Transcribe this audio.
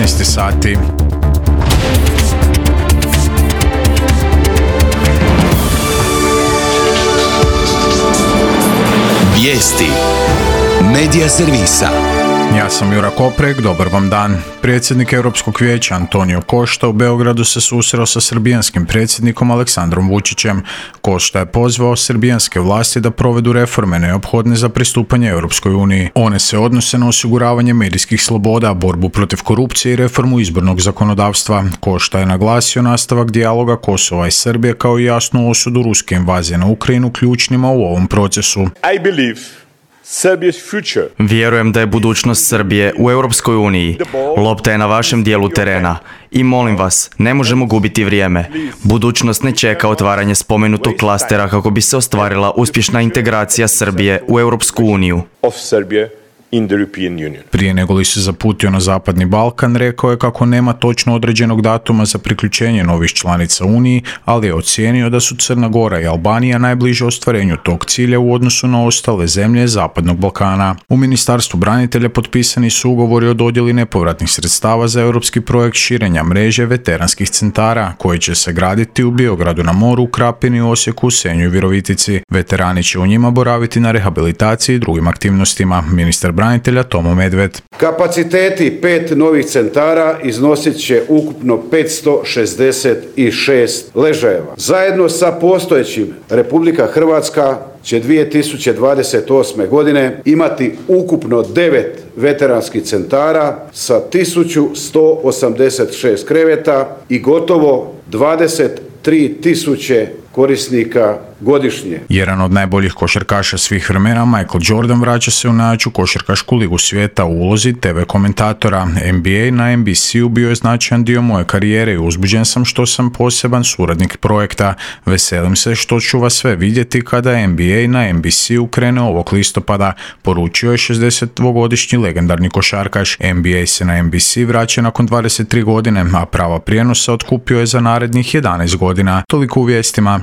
19 sati. Vijesti Medija servisa. Ja sam Jura Koprek, dobar vam dan. Predsjednik Europskog vijeća Antonio Costa u Beogradu se susreo sa srbijanskim predsjednikom Aleksandrom Vučićem. Costa je pozvao srbijanske vlasti da provedu reforme neophodne za pristupanje Europskoj uniji. One se odnose na osiguravanje medijskih sloboda, borbu protiv korupcije i reformu izbornog zakonodavstva. Costa je naglasio nastavak dijaloga Kosova i Srbije kao i jasnu osudu ruske invazije na Ukrajinu ključnima u ovom procesu. Vjerujem da je budućnost Srbije u Europskoj uniji. Lopta je na vašem dijelu terena. I molim vas, ne možemo gubiti vrijeme. Budućnost ne čeka otvaranje spomenutog klastera kako bi se ostvarila uspješna integracija Srbije u Europsku uniju. Prije nego li se zaputio na Zapadni Balkan, rekao je kako nema točno određenog datuma za priključenje novih članica Uniji, ali je ocijenio da su Crna Gora i Albanija najbliže ostvarenju tog cilja u odnosu na ostale zemlje Zapadnog Balkana. U Ministarstvu branitelja potpisani su ugovori o dodjeli nepovratnih sredstava za europski projekt širenja mreže veteranskih centara, koji će se graditi u Biogradu na moru, Krapini, Osijeku, Senju i Virovitici. Veterani će u njima boraviti na rehabilitaciji i drugim aktivnostima. Ministar branitelja Tomo Medved. Kapaciteti 5 novih centara iznosit će ukupno 566 ležajeva. Zajedno sa postojećim Republika Hrvatska će 2028. godine imati ukupno 9 veteranskih centara sa 1186 kreveta i gotovo 23.000 korisnika godišnje. Jedan od najboljih košarkaša svih vremena, Michael Jordan, vraća se u najjaču košarkašku ligu svijeta u ulozi TV komentatora. NBA na NBC-u bio je značajan dio moje karijere i uzbuđen sam što sam poseban suradnik projekta. Veselim se što ću vas sve vidjeti kada NBA na NBC-u krene ovog listopada, poručio je 62-godišnji legendarni košarkaš. NBA se na NBC vraća nakon 23 godine, a prava prijenosa otkupio je za narednih 11 godina. Toliko u vijestima.